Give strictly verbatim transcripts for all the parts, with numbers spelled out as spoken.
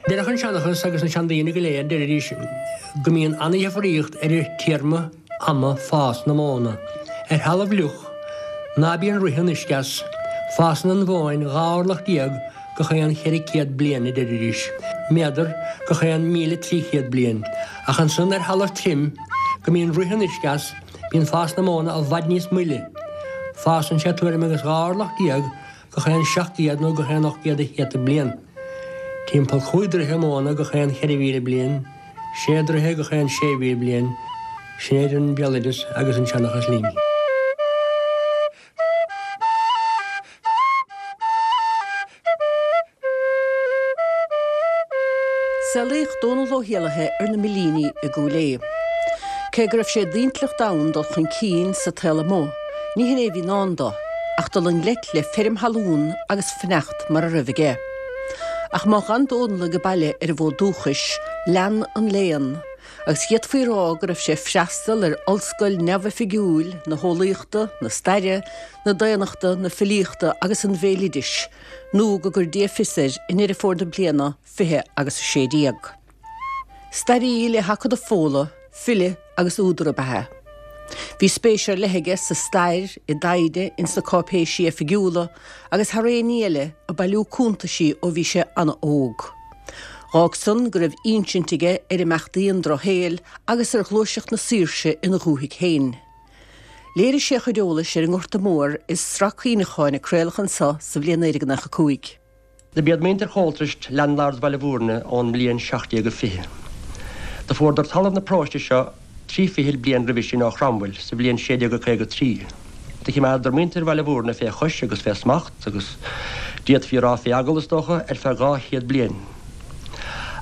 Déarfadh an seanchas agus na seandaoine go léir deiridís go mbíonn an-difríocht ar téarma ama fás na móna. Ar thalamh fhliuch ná bíonn rith an uisce as, fásann an mhóin dhá orlach déag gach aon cheithre chéad bliain a deiridís, méadar gach aon míle trí chéad bliain, ach ansan ar thalamh tirim go mbíonn rith an uisce as, bíonn fás na móna i bhfad níos moille. Fásann sé tuairim agus dhá orlach déag gach aon seacht gcéad nó gach aon ocht gcéad de chéadta bliain. Timpeall cúig troithe móna gach aon cheithre mhíle bliain, sé troithe gach aon sé mhíle bliain, sin é an béaloideas agus an seanchas linn. Saolaíodh Dónal Ó hÉallaithe ar na Millíní i gCúil Aodha. Cé go raibh sé d'intleacht ann dul chun cinn sa tsaol amuigh, ní hin é a bhí i ndán dó, ach dul i ngleic le feirm thalún agus fanacht mar a raibh aige. Ach má d'fhan Dónal age baile ar an bhfód dúchais, lean an léann, agus d'fhéadfaí a rá go raibh sé ag freastal ar ollscoil neamhoifigiúil na heolaíochta, na staire, na daonnachta, na filíochta agus an bhéaloidis, nó go gcuir Dia fios air i nDeireadh Fómhair na bliana fiche agus a sé déag. Staraí le hAcadamh Fódhla, file agus údar ab ea é. Bhí spéis ar leith aige sa stair, i dtaighde, ins na cáipéisí oifigiúla agus thar aon ní eile ag bailiú cuntaisí ó bhí sé an-óg. D'fhág san go raibh insint aige ar imeachtaí an drochshaoil agus ar ghluaiseacht na saoirse ina dhúthaigh féin. Léirigh sé a chuid eolais ar an nGorta Mór i sraith cuimhneacháin a craoladh anseo sa bhliain naoi déag nócha a cúig. Do b'iad muintir Choltraist landlords Bhaile Bhúirne ón mbliain seacht déag a fiche. Do fuaradar talamh na paróiste seo trí fichid bliain roimhe sin ó Chromwell sa bhliain sé déag a caoga trí. Do chimeádadar muintir Bhaile Bhúirne fé chois agus fé smacht agus d'fhéadfaí a rá fé eagal, is dócha, ar feadh dhá chéad bliain.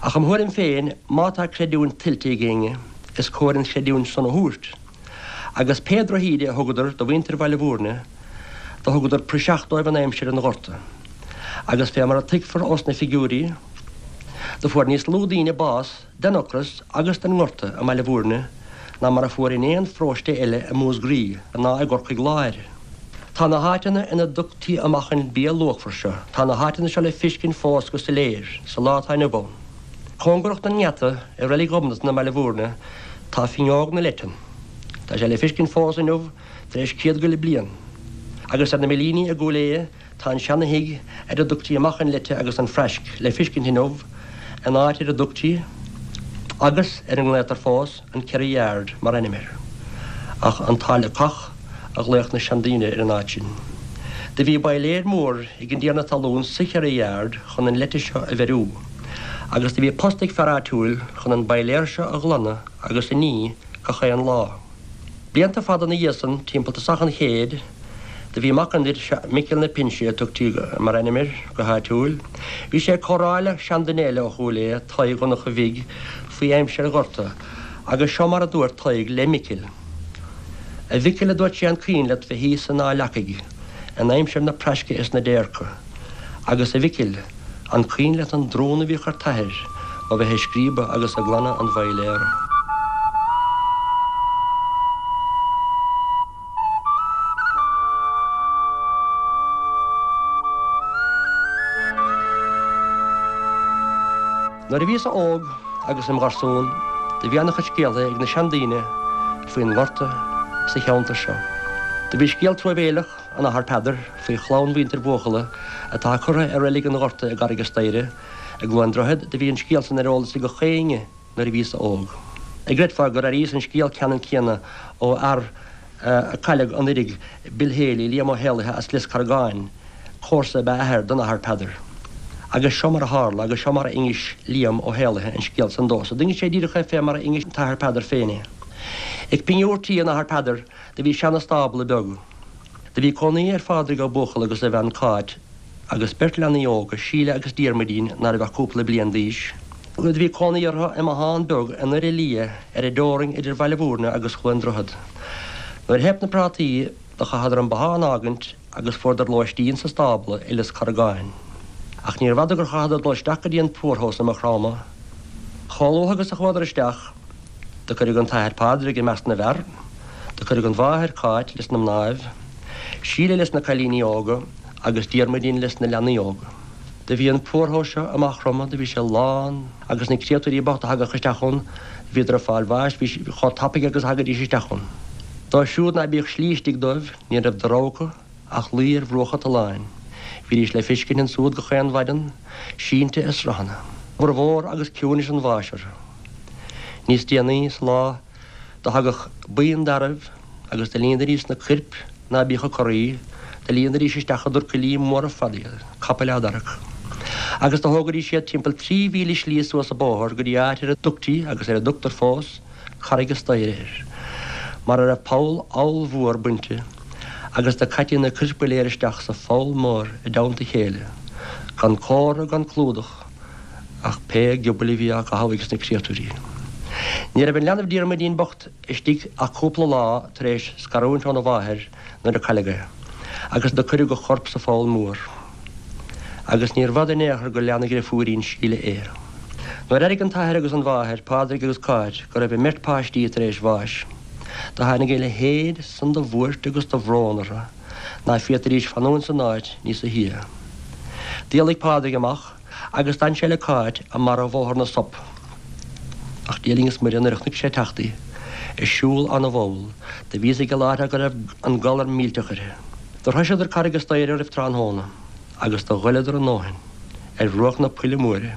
Ach im thuairim féin, má tá creidiúint tuillte ag éinne, is cóir an chreidiúint san a thabhairt. Agus pé drochíde a thugadar do mhuintir Bhaile Bhúirne, do thugadar praiseach dóibh in aimsir an Ghorta. Agus fé mar a tuigfear ós na figiúirí, do fuair níos lú daoine bás den ocras agus den nGorta i mBaile Bhúirne ná mar a fuair in aon pharóiste eile i Músgraí ná i gCorcaigh Láir. Tá na háiteanna ina dtugtaí amach an bia luachmhar seo, tá na háiteanna seo le fiscint fós go soiléir sa lá atá inniu ann. Cóngarach don ngeata i Reilig Ghobnatan i mBaile Bhúirne tá Finneog na Leitean. Tá sé le fiscint fós inniu tar éis céad go leith bliain. Agus ar na Millíní i gCúil Aodha tá an seana-thigh ar a dtugtaí amach an leite agus an phraisc le fiscint inniu in áit ar a dtugtaí, agus ar a nglaotar fós, an Kerry Yard mar ainm air. Ach an tSáile Cach a ghlaodh na seandaoine ar an áit sin. Do bhí bailéir mór ag an dtiarna talún sa Cherry Yard chun an leite seo a bheiriú, agus do bhí post ag fear áitiúil chun an bailéar seo a ghlanadh agus a ní gach aon lá. Blianta fada ina dhiaidh san, timpeall tosach an chéid, do bhí mac an fhir seo, Micil na Pinse a tugtaí mar ainm air go háitiúil, bhí sé ag comhrá le seanduine eile ó Chúil Aodha, Tadhg Dhonncha Bhig, faoi aimsir an Ghorta, agus seo mar a dúirt Tadhg le Micil. A Mhicil, a dúirt sé, an cuimhin leat bheith thíos in Áth Leacaigh in aimsir na praisce is na déirce? Agus, a Mhicil, an cuimhin leat an drún a bhíodh ar t'athair ó bheith ag scríobadh agus ag glanadh an bhailéara? Nuair a bhíos-sa óg agus im gharsún do bhí ana-chuid scéaltha ag na seandaoine faoin nGorta sa cheantar seo. Do bhí scéal truamhéileach an Athar Peadar faoi chlann mhuintir Bhuachalla atá curtha i Reilig an Ghorta i gCarraig a' Staighre i gCluain Droichead. Do bhí an scéal san ar eolas ag gach éinne nuair a bhíos-sa óg. An gcreidfeá gur airíos an scéal ceannann céanna ó fhear a cailleadh anuiridh, Bill Haley, Liam Ó hÉallaithe as Lios Carragáin, comharsa ab ea a athair don Athair Peadar. Agus seo mar a tharla, agus seo mar a d'inis Liam Ó hÉallaithe an scéal san domhsa. D'inis sé díreach é fé mar a d'inis an tAthair Peadar féin é. Ag pingiúr tí an Athar Peadar do bhí seana-stábla beag. Do bhí cónaí ar Phádraig Ó Buachalla agus a bhean Cáit agus beirt leanaí óga, Síle agus Diarmuidín, ná raibh ach cúpla bliain d'aois. Do bhí cónaí orthu i mbothán beag i nDoire Liath ar an dteorainn idir Bhaile Bhúirne agus Chluain Droichead. Nuair a theip na prátaí do chaitheadar an bothán a fhágaint agus fuaireadar lóistín sa stábla i Lios Carragáin. Ach níorbh fhada gur chaitheadar dul isteach go dtí an poorhouse i Maigh Chromtha. Chomh luath agus a chuadar isteach, do cuireadh an t-athair Pádraig i measc na bhfear, do cuireadh an mháthair Cáit leis na mnáibh, Síle leis na cailíní óga agus Diarmuidín leis na leanaí óga. Do bhí an poorhouse seo amach rompu, do bhí sé lán agus na créatúirí bochta a thagadh isteach ann, bhíodar ag fáil bháis, bhí chomh tapaidh agus a thagaidís isteach ann. Dóibh siúd ná bíodh slí istigh dóibh, ní raibh de rogha acu ach luí ar bhruacha tolláin. Bhídís le feiscint ansúd gach aon mhaidin, sínte i sraitheanna. Mhór agus ciúnas an bháis orthu. Níos déanaí sa lá do thagadh buíon d'fhearaibh agus do líonaidís na coirp ná bíodh ag corraí, do líonaidís isteach i dtrucailí móra fada iad, capaill á dtarrac. Agus do thógaidís iad timpeall trí mhíle slí suas an bóthar go dtí áit ar a dtugtaí, agus ar a dtugtar fós, Carraig a' Staighre air, mar a raibh poll ollmhór bainte, agus do caití na coirp go léir isteach sa pholl mór i dteannta a chéile, gan comhartha gan clúdach, ach pé giobail a bhí á gcaitheamh ages na créatúirí. Ní raibh an leanbh Diarmuidín bocht istigh ach cúpla lá tar éis scarúint óna mháthair nuair a cailleadh é, agus do cuireadh a chorp sa pholl mór. Agus níorbh fhada in aon chor gur lean a dhriofúirín Síle é. Nuair airigh an t-athair agus an mháthair, Pádraig agus Cáit, go raibh a mbeirt páistí tar éis bháis, do tháinig a leithéid san de bhuairt agus de bhrón orthu ná féadfaidís fanúint san áit níosa shia. D'éalaigh Pádraig amach agus d'fhan sé le Cáit i mbarra Bhóthar na Sop. Ach Dia linn is Muire nuair a chonaic sé ag teacht í, ag siúl ana-mhall, do bhí fhios aige láithreach go raibh an galar millteach uirthi. Do shroiseadar Carraig a' Staighre roimh tráthnóna agus do ghoileadar a ndóthain ar bhruach na poille móire.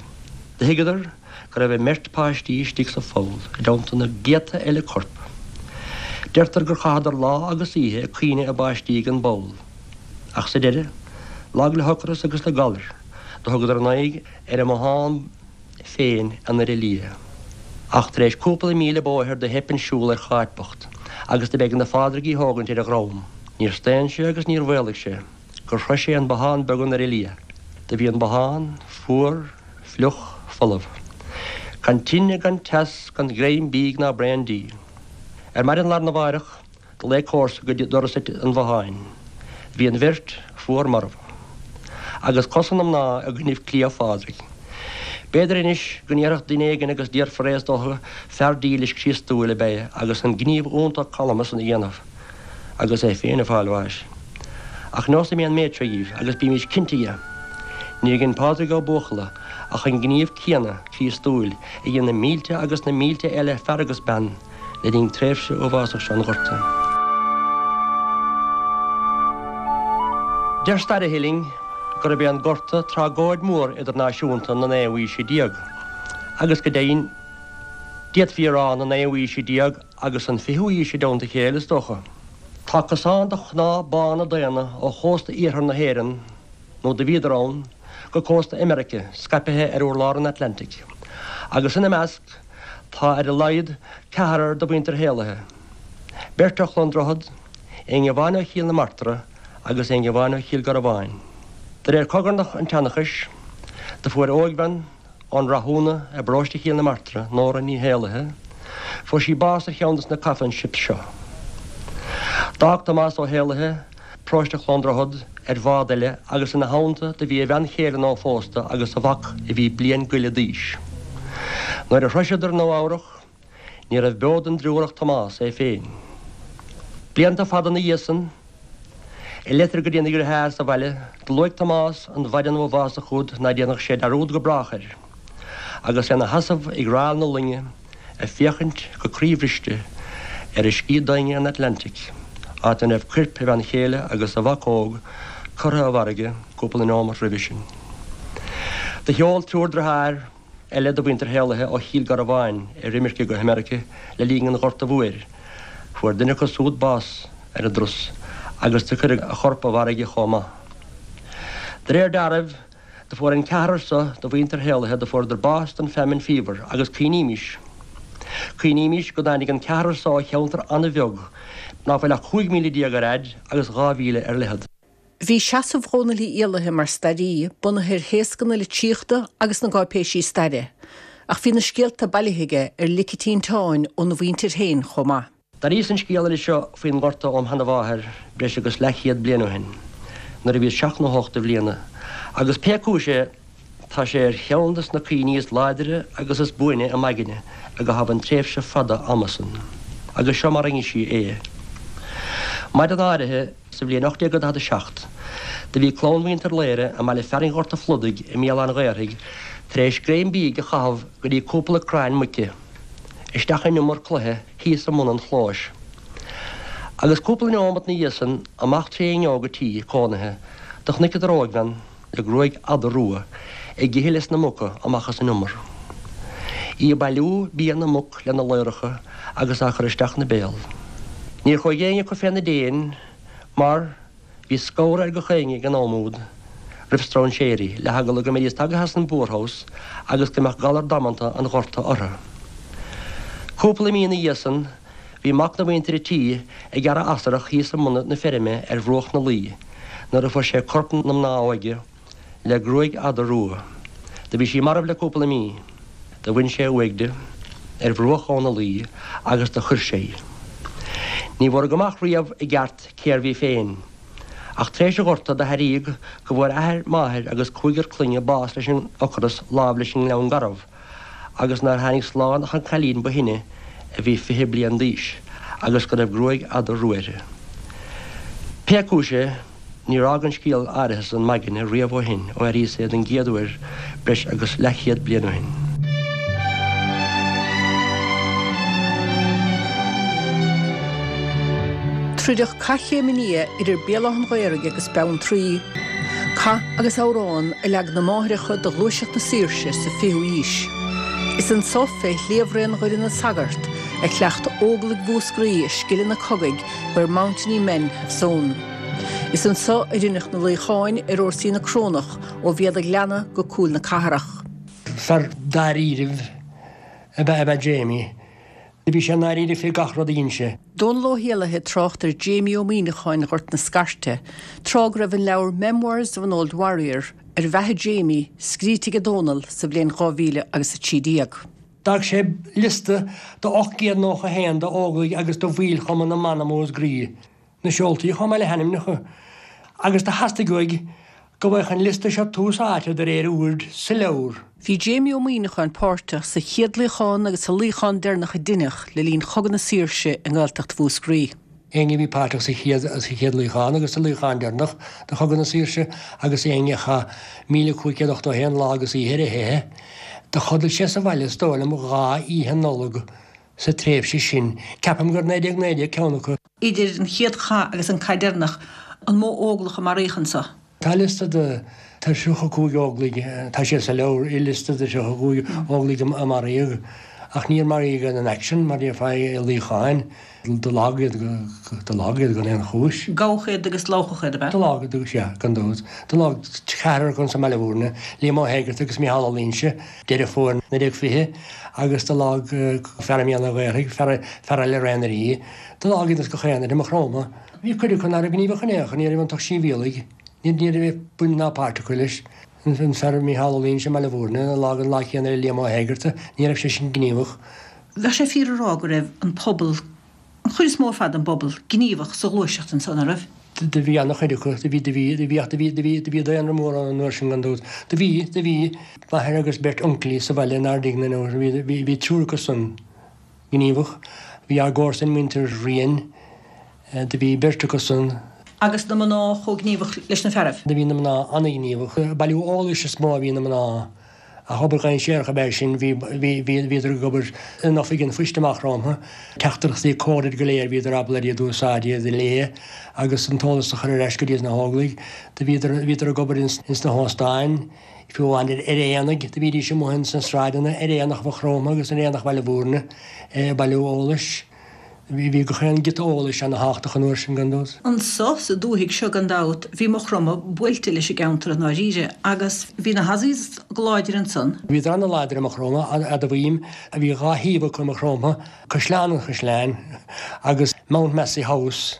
Do thuigeadar go raibh a mbeirt páistí istigh sa pholl i dteannta na gcéadta eile corp. Deirtear gur chaitheadar lá agus oíche ag caoineadh a bpáistí ag an bpoll. Ach sa deireadh, lag le hocras agus le galar, do thugadar a n-aghaidh ar an mbothán féin i nDoire Liath. Ach tar éis cúpla míle bóthair do theip an siúl ar Cháit bocht agus do b'éigean do Phádraig í thógaint ar a dhrom. Níor staon sé agus níor mhaolaigh sé gur shrois sé an bothán beag i nDoire Liath. Do bhí an bothán fuar, fliuch, folamh. Gan tine, gan teas, gan greim bídh ná braon dí. Ar maidin lá arna mháireach, do ghlaoigh comharsa go doras an bhotháin. Bhí an bheirt fuar marbh. Agus cosa na mná i gcoinnibh cliabh Phádraig. B'fhéidir anois go ndéarfadh duine éigin agus déarfar é is dócha, fear dílis Críostúil ab ea é agus an gníomh iontach calma san a dhéanamh agus é féin ag fáil bháis. Ach neosfaidh mé an méid seo dhíbh agus bímís cinnte dhe, níor dhein Pádraig Ó Buachalla ach an gníomh céanna Críostúil a dhein na mílte agus na mílte eile fear agus bean le linn tréimhse uafásach seo an Ghorta. Deir staraithe linn gurb é an Gorta tragóid mhór idirnáisiúnta na naoú haoise déag, agus go deimhin, d'fhéadfaí a rá na naoú haoise déag agus an fichiú haois i dteannta a chéile, is dócha. Tá cosán de chnámha bána daonna ó chósta iarthar na hÉireann, nó do bhíodar ann, go cósta Imeirice, scaipthe ar urlár an Atlantaigh, agus ina measc tá ar a laghad ceathrar de mhuintir Héalaithe, beirt ó Chluain Droichead, éinne amháin ó Chill na Martra agus éinne amháin ó Chill Garbháin. De réir chogarnach an tseanchais, do fuair óigbhean ón Rathúna i bparóiste Chill na Martra, Nóra Ní Héalaithe, fuair sí bás ar cheann de na coffin ships seo. D'fhág Tomás Ó Héalaithe paróiste Chluain Droichead ar bhád eile agus ina theannta do bhí a bhean chéile nuaphósta agus a mhac a bhí bliain go leith d'aois. Nuair a shroiseadar Nua Eabhrach, ní raibh beo den dtriúr ach Tomás é féin. Blianta fada ina dhiaidh san, i leitir go dtína dheartháir sa bhaile, do luaigh Tomás an mhaidin uafásach úd ná déanfadh sé dearúd go brách air, agus é ina sheasamh ag rail na loinge ag féachaint go croíbhriste ar uiscí doinge an Atlantaigh, áit ina raibh coirp a bhean chéile agus a mhac óg curtha i bhfarraige cúpla neomat roimhe sin. Do sheol triúr deartháir eile de mhuintir Héalaithe ó Chill Garbháin ar imirce go hAmerica le linn an Ghorta Mhóir. Fuair duine acu súd bás ar an dturas agus do cuireadh a chorp i bhfarraige chomh maith. De réir dealraimh, do fuair an ceathrar so de mhuintir Héalaithe, do fuaireadar bás den famine fever agus cuimhnímis, cuimhnímis go dtáinig an ceathrar so ó cheantar an-bheag ná fuil ach cúig míle déag ar fhaid agus dhá mhíle ar leithead. Bhí seasamh Dhónaill Uí Éalaithe mar staraí bunaithe ar théasca na litríochta agus na gcáipéisí staire, ach bhí na scéalta bailithe aige ar lic an tinteáin óna mhuintir féin chomh maith. D'airíos an scéal eile seo faoin nGorta óm sheanamháthair breis agus leathchéad bliain ó shin, nuair a bhíos seacht nó hocht de bhliana, agus pé cúis é, tá sé ar cheann de na cuimhní is láidre agus is buaine i m'aigne i gcaitheamh an tréimhse fada ama san. Agus seo mar a d'inis sí é. Maidin áirithe sa bhliain ocht déag daichead a seacht, Do bhí clann mhuintir Laoire i mbaile fearainn Ghort a' Phludaigh i mBéal Átha an Ghaorthaidh tar éis greim bídh a chaitheamh go dtí cúpla crann muice isteach in umar cloiche thíos i mbun an chlóis. Agus cúpla neomat ina dhiaidh san amach trí fhuinneog an tí cónaithe do chonaiceadar óigbhean le gruaig fhada rua ag ithe leis na muca amach as an umar. Í ag bailiú bia na muc lena ladhracha agus á chur isteach ina béal. Níor chuaigh éinne acu féna déin mar bhí scamhar ar gach éinne ag an am úd roimh stróinséirí le heagla go mbeidís tagtha as an bpoorhouse agus go mbeadh galar damanta an Ghorta orthu. Cúpla mí ina dhiaidh san bhí mac na mhuintire tí ag gearradh asarach thíos i mbun na feirme ar bhruach na Laoi nuair a fuair sé corp na mná óige le gruaig fhada rua. Do bhí sí marbh le cúpla mí. Do bhain sé uaigh di ar bhruach Abha na Laoi agus do chuir sé í. Ní bhfuaradh amach riamh i gceart cérbh í féin. Ach tar éis an Ghorta do hairíodh go bhfuair athair, máthair agus cúigear clainne bás leis an ocras láimh leis an nGleann Garbh agus nár tháinig slán ach an cailín ba shine a bhí fiche bliain d'aois agus go raibh gruaig fhada rua uirthi. Pé cúis é, níor fhág an scéal áirithe san m'aigne riamh ó shin ó airíos é den gcéad uair breis agus leathchéad bliain ó shin. Troideadh Cath Chéim an Fhia idir Béal Átha an Ghaorthaidh agus Beanntraí. Cath agus amhrán a leag na máithreacha do ghluaiseacht na saoirse sa fichiú haois. Is anso fé shliabhraon Dhoire na Sagart a chleacht Óglaigh Mhúscraí a scileanna cogaidh where mountainy men have sown. Is anso a rinneadh na luíocháin ar fhórsaí na Corónach ó Bhéal an Ghleanna go Cúil na Cathrach. Fear dáiríribh ab ea ab ea Jamie. Do bhí sé ndáiríre fé gach rud a dhein sé. Dónal Ó hÉallaithe ag trácht ar Jamie Ó Muíneacháin Ghort na Scairte, tráth go raibh an leabhar Memoirs of an Old Warrior ar bheatha Jamie scríte ag Dónal sa bhliain dhá mhíle agus a trí déag. D'fhág sé liosta de ocht gcéad nócha a haon d'Óglaigh agus de bhaill Chumann na mBan i Músgraí, na seoltaí chomh maith le hainmneacha, agus do theastaigh uaidh go bhfaigheadh an liosta seo tús áite de réir oird sa leabhar. Bhí Jamie Ó Muíneacháin páirteach sa chéad luíochán agus sa luíochán deireanach a deineadh le linn Chogadh na Saoirse i nGaeltacht Mhúscraí. Éinne a bhí páirteach sa chéad sa chéad luíochán agus sa luíochán deireanach de Chogadh na Saoirse agus éinne a chaith míle cúig chéad ochtó a haon lá agus oíche ar a theitheadh, do chodail sé sa bhaile is dóigh liom dhá oíche Nollag sa tréimhse sin. Ceapaim gur naoi déag naoi déag ceann acu. Idir an chéad chath agus an cath deireanach, an mó Óglach a maraíodh anso? Tá liosta de tríocha cúig Óglaigh, tá sé sa leabhar, i liosta de tríocha cúig Óglaigh a maraíodh, ach níor maraíodh in action, mar déarfá i luíocháin, do leagadh iad do leagadh iad gan aon chúis. Gabhadh iad agus lámhachadh iad, ab ea? Do leagadh iad, sea, gan dabht. Do leagadh ceathrar acu sa mBaile Bhúirne, Liam Ó hÉigeartaigh agus Micheál Ó Loingsigh, Deireadh Fómhair naoi déag fiche, agus do leagadh fear i mBéal an Ghaorthaidh, fear fear eile ar Raon na Rí. Do leagadh iad as gach aon áit i Maigh Chromtha. Bhí cuid acu ná raibh gníomhach in aon chor, ní raibh iontu ach sibhialaigh. Ní raibh baint ná páirt acu leis. An fear Micheál Ó Loingsigh i mBaile Bhúirne, a leagadh an lá céanna le Liam Ó hÉigeartaigh, ní raibh sé sin gníomhach. Bheadh sé fíor a rá go raibh an pobal, an chuid is mó ar fad den bpobal, gníomhach sa ghluaiseacht ansan, an raibh? Do bhí an-chuid acu, do bhí, do bhí, do bhí, ach do bhí, do bhí, do bhí daonra mór ann an uair sin gan dabht. Do bhí, do bhí m'athair agus beirt uncailí sa bhaile in Ard Fhignan, bhí, bhí, bhí triúr acu san gníomhach. Bhí ár gcomharsain, muintir Ryan, do bhí beirt acu san. Agus na mná chomh gníomhach leis na fearaibh? Do bhí na mná an-ghníomhach. Ag bailiú eolais is mó a bhí na mná. Ach obair dhainséarach ab ea sin. Bhí, bhí, bhí, bhíodar ag obair in oifig an phoist i Maigh Chromtha. Teachtaireachtaí coded go léir, bhíodar ábalta iad a úsáid, iad a léamh agus an t-eolas a chur ar ais go dtí na hÓglaigh. Do bhíodar, bhíodar ag obair ins, ins na hóstáin, fiú amháin ar, ar aonaigh. Do bhídís amuigh ins na sráideanna ar aonach Mhaigh Chromtha agus ar aonach Bhaile Bhúirne ag bailiú eolais. Bhí gach aon giota eolais ana-thábhachtach an uair sin, gan dabht. Anso sa dúthaigh seo gan dabht bhí Maigh Chromtha buailte leis an gceantar i ndáiríre agus bhí na hAussies go láidir ansan. Bhíodar ana-láidir i Maigh Chromtha, admhaím. Bhí dhá shuíomh acu i Maigh Chromtha, Caisleán an Chaisleáin agus Mount Massey House,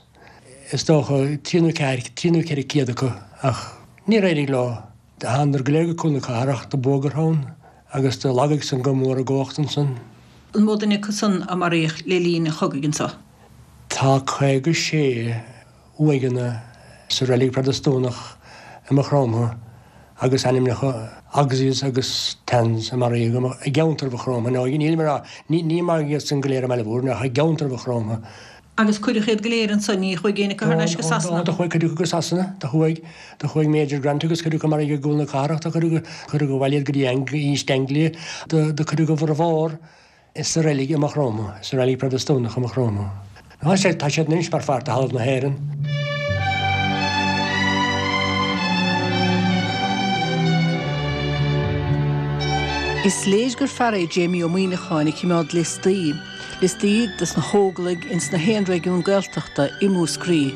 is dócha trí nó ceathair, trí nó ceithre céad acu ach níor éirigh leo. Do thánadar go léir go Cúl na Cathrach, do buadh orthu ann agus do lagaigh san go mór a gcumhacht ansan. An mó duine acu san a maraíodh le linn an chogaidh anso? Tá caoga sé uaigheanna sa reilig Protastúnach i Maigh Chromtha agus ainmneacha Auxies agus Tans a maraíodh i gceantar Mhaigh Chromtha. Nó nílim ag rá, ní maraíodh iad san go léir i mBaile Bhúirne ach i gceantar Mhaigh Chromtha. Agus cuireadh iad go léir ansan, ní chuaigh éinne acu thar n-ais go Sasana? Do chuaigh cuid acu go Sasana, do chuaigh, do chuaigh Major Grant agus cuid acu maraithe i gCúl na Cathrach, do cuireadh, cuireadh abhaile iad go dtí East Anglia, do, do cuireadh a bhformhór sa reilig i Maigh Chromtha, sa reilig Protastúnach i Maigh Chromtha. Tá siad, tá siad anois mar pháirt de thalamh na hÉireann. Is léir gur fear é Jamie Ó Muimhneacháin a chimeád liostaí, liostaí dos na hÓglaigh ins na haon réigiún Gaeltachta i Múscraí,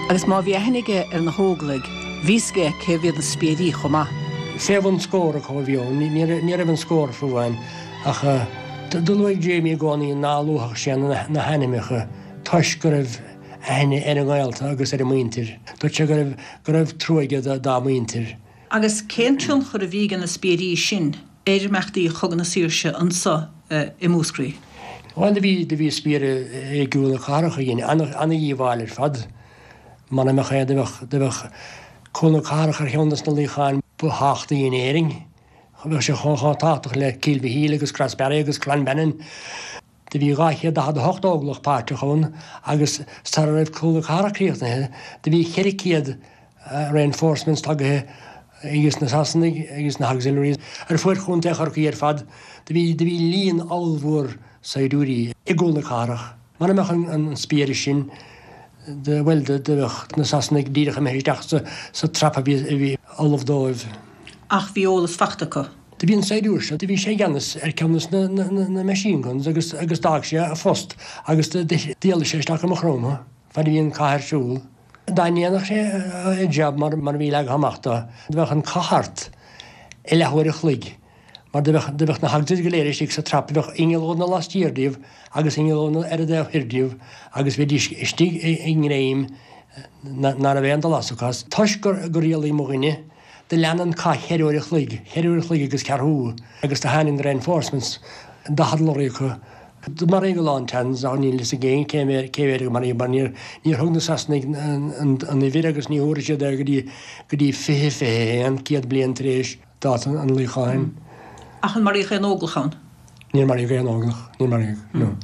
agus má bhí aithne aige ar na hÓglaigh, bhí fhios aige cé mhéad na spiairí chomh maith. Fé bhun scór acu a bhí ann, ní raibh an scór fiú amháin, ach do luaigh Jamie i gcónaí ná luafadh sé na hainmneacha toisc go raibh aithne ar a ngaolta agus ar a muintir. Dúirt sé go raibh go raibh trua aige dá muintir. Agus cén tionchar a bhí ag na spiairí sin ar imeachtaí Chogadh na Saoirse anso i Múscraí? Bhuel, do bhí, do bhí spiaire i gCúl na Cathrach a dhein ana-dhíobháil ar fad. Muna mbeadh é, do bheadh, do bheadh Cúl na Cathrach ar cheann de na luíocháin ba thábhachtaí in Éirinn. Bheadh sé chomh tábhachtach le Cill Mhichíl agus Crossbarry agus Clonbinane. Do bhí dhá chéad daichead a hocht óglach páirteach ann agus sara raibh Cúl na Cathrach críochnaithe, do bhí ceithre chéad reinforcements tagaithe ages na Sasanaigh agus na hauxiliaries ar fuaid Chontae Chorcaí ar fad. Do bhí, do bhí líon ollmhór saighdiúirí i gCúl na Cathrach. Mura mbeadh an, an spiaire sin, do, bhuel, do, do bheadh na Sasanaigh díreach imithe isteach sa, sa trap a bhí, a bhí ullamh dóibh. Ach bhí eolas fachta acu. Do bhí an saighdiúir seo, do bhí sé i gceannas ar ceann de na, na, na machine guns agus, agus d'fhág sé a phost agus d'éalaigh sé isteach i Maigh Chromtha fad a bhí an cath ar siúl. Dá ndéanfadh sé a jab mar a bhí leagtha amach dó, do bheadh an cath thart i leathuair a chloig, mar do bheadh, do bheadh na hauxiliaries go léir istigh sa trap, bheadh ingealónna laistiar díobh agus ingealónna ar an dtaobh thoir díobh agus bheidís istigh i ngreim ná raibh aon dul as acu as. Toisc gur, gur éalaigh mo dhuine, do lean an cath cheithre uair a chloig, cheithre uair a chloig agus ceathrú, agus do tháinig na reinforcements, daichead lorry acu, Do maraíodh a lán Tans ach níl fhios ag éinne cé mhéad cé mhéad a maraíodh mar níor níor thug na Sasanaigh an an uimhir agus ní thabharfaidh siad é go dtí go dtí fiche fiche a haon, céad bliain tar éis dáta an luíocháin. Ach an maraíodh aon óglach ann? Níor maraíodh aon óglach, níor maraíodh, no.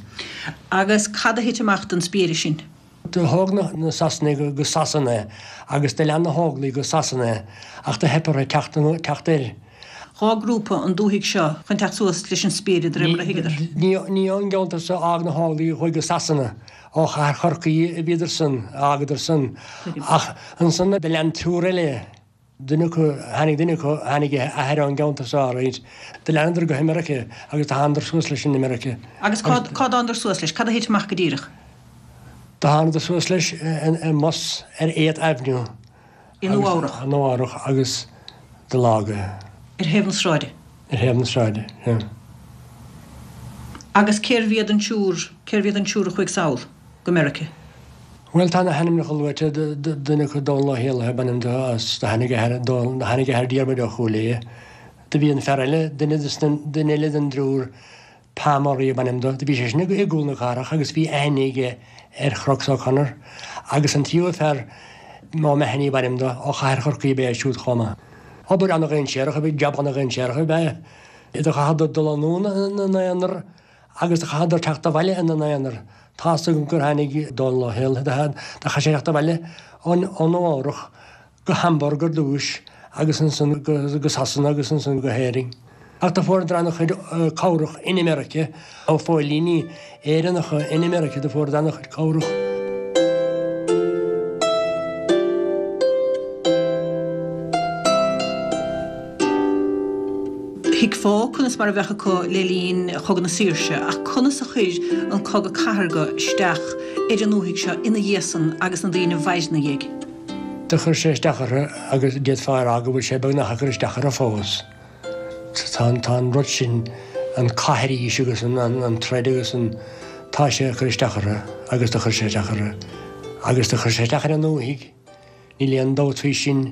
Agus cad a thit amach don spiaire sin? Do thóg na Sasanaigh go Sasana é agus do lean na hÓglaigh go Sasana é ach do theip orthu teacht teacht air. Dhá grúpa an dúthaigh seo chun teacht suas leis an spiaire de réir mar a thuigeadar. Ní ní ón gceantar seo a fhág na hÓglaigh a chuaigh go Sasana. Ó chathair Chorcaí a bhíodar san, a fhágadar san. Ach ansan do lean triúr eile. Duine acu, tháinig duine acu, tháinig a athair ón gceantar seo alright. Do leanadar go hAmerica agus do thánadar suas leis in America. Agus cá cá dtánadar suas leis? Cad a thit amach go díreach? Do thánadar suas leis i mbus ar Eighth Avenue. I Nua-Eabhrac. I Nua-Eabhrac agus do leagadh é. Ar thaobh na sráide. Ar thaobh na sráide, yeah. Agus cérbh iad an triúr, cérbh iad an triúr a chuaigh sall go Meirice? Bhuel, tá na hainmneacha luaite, duine acu Dónal Ó hÉallaithe ab ainm dó as, do tháinig a athair, do tháinig a athair Diarmuid ó Chúil Aodha. Do bhí an fear eile, duine de na, duine eile den dtriúr, Pa Murray ab ainm dó. Do bhí sé sin i gCúl na Cathrach agus bhí aithne aige ar Chrocks O'Connor. Agus an tríú fear, O'Mahony ab ainm dó, ó chathair Chorcaí ab ea é siúd chomh maith. Obair ana-dhainséarach ab ea, jab ana-dhainséarach ab ea é. Do chaitheadar dul anonn ina n-aonar agus do chaitheadar teacht abhaile ina n-aonar. Tá's agam gur tháinig Dónal Ó hÉallaithe, do chaith sé teacht abhaile ó Nua Eabhrac go Hamburg ar dtúis agus ansan go Sasana agus ansan go hÉirinn. Ach do fuaireadar an-chuid cabhrach in America ó phóilíní Éireannacha in America, do fuaireadar an-chuid cabhrach. Thuigfeá conas mar a bheadh acu le linn Chogadh na Saoirse, ach conas a chuir an Cogadh Cathartha isteach ar an ndúthaigh seo ina dhiaidh san agus na daoine a mhair ina dhiaidh? Do chuir sé isteach orthu agus d'fhéadfá a rá go bhfuil sé beagnach ag cur isteach orthu fós. Tá an, tá an rud sin, an cath arís agus an, an, an troid agus an, tá sé ag cur isteach orthu agus do chuir sé isteach orthu agus do chuir sé isteach ar an ndúthaigh, níl aon dabht faoi sin.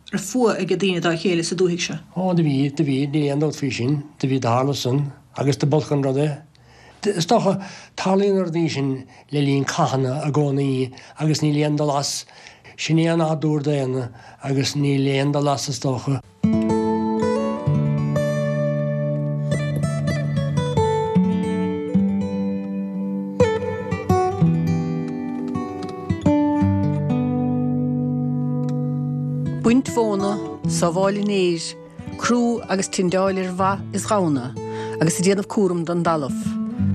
Raibh fuath ag daoine dá chéile sa dúthaigh seo? Ó, do bhí, do bhí, níl aon dabht faoi sin, do bhí, do tharla san agus do b'olc an rud é. Is dócha, tarlaíonn na rudaí sin le linn cathanna i gcónaí agus níl aon dul as. Sin é an nádúr daonna agus níl aon dul as is dócha. Baint mhóna, sábháil an fhéir, crú agus tindeáil ar mhaith is ghamhna, agus ag déanamh cúram don dtalamh.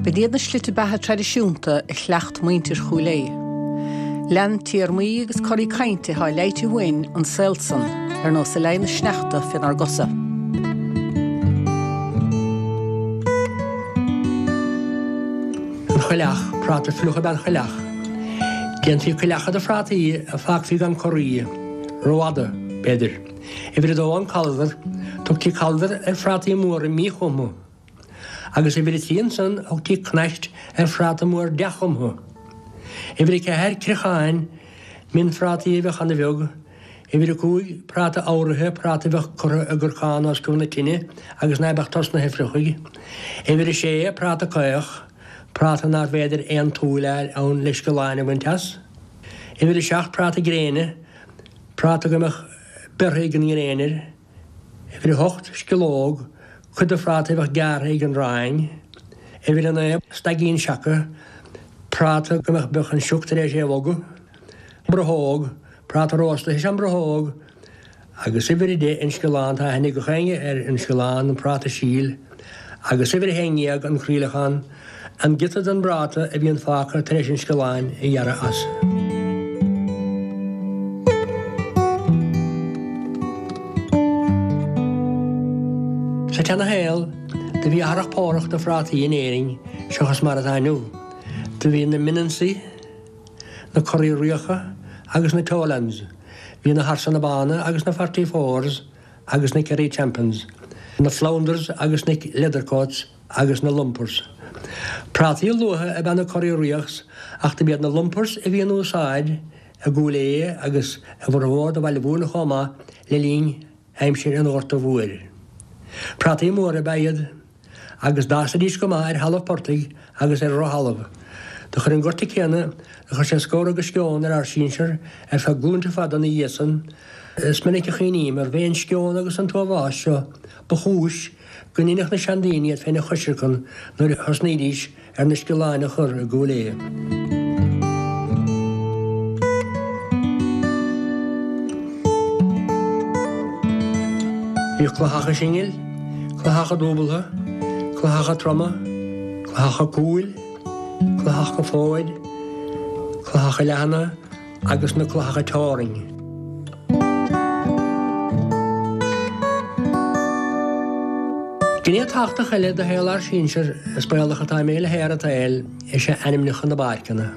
B'in iad na slite beatha traidisiúnta a chleacht muintir Chúil Aodha. Lean téarmaí agus coraí cainte atá leighte uainn an saol san, ar nós a leigh na sneachta faoinár gcosa. An choileach, práta fliuch ab ea an choileach. Déantaí coileacha de phrátaí a fágfaí gan corraí, rófhada, b'fhéidir. Uimhir a dó an caldar, tugtaí caldar ar phrátaí móra míchumtha. Agus uimhir a trí ansan thugtaí cnaist ar phráta mór dea-chumtha. Uimhir a ceathair criochán, mionphrátaí a bheadh ana-bheag, uimhir a cúig práta amhraithe, práta a bheadh curtha i gcorcán os cionn na tine agus ná beadh tosnaithe a fhliuchadh. Uimhir a sé práta caoch, práta nárbh fhéidir aon tsúil a fháil ann le sciolláin a bhaint as. Uimhir a seacht práta gréine, práta go mbeadh beirthe ag an ngréin air. Uimhir a hocht sciológ, cuid de phráta a bheadh gearrtha ag an ráing. Uimhir a naoi staigín seaca, práta go mbeadh beadh an sioc tar éis é a bhogadh. Brothóg, práta rósta is ea an brothóg, agus uimhir a deich an sciollán, tá aithne ag gach éinne ar an sciollán, an práta síl, agus uimhir a haon déag an croíleachán, an giota den bpráta a bhíonn fágtha tar éis an sciolláin a ghearradh as. Sa tseana-shaol, do bhí athrach pórach de phrátaí in Éirinn seachas mar atá inniu. Do bhí na Mionionsaí, na Curaí Riabhacha agus na Tolands. Bhí na Harsana Bána agus na Forty Fours agus na Kerry Champions, na Flounders agus na Leathercoats agus na Lumpers. Prátaí luatha ab ea na Curaí Riabhachs ach do b'iad na Lumpers a bhí in úsáid i gCúil Aodha agus i bhformhór de Bhaile Mhúirne chomh maith le linn aimsir an Ghorta Mhóir. Prátaí móra ab ea iad agus d'fhásaidís go maith ar thalamh portaigh agus ar dhrochthalamh. Do chuir an gorta céanna, do chuir sé scór agus sceon ar ár sinsear ar feadh glúnta fada ina dhiaidh san. Is minic a chuimhním arbh é an sceon agus an t-uathbhás seo ba chúis go ndeineadh na seandaoine iad féin a choisreacan nuair a thosnaídís ar na sciolláin a chur i gCúil Aodha. Bhíodh clathacha singil, clathacha dúbaltha, clathacha troma, clathacha cúil, clathacha fóid, clathacha leathana agus na clathacha teorainn. Gné tábhachtach eile de shaol ár sinsear, is baolach atá mé le haer an tsaoil, is ea ainmneacha na bpáirceanna.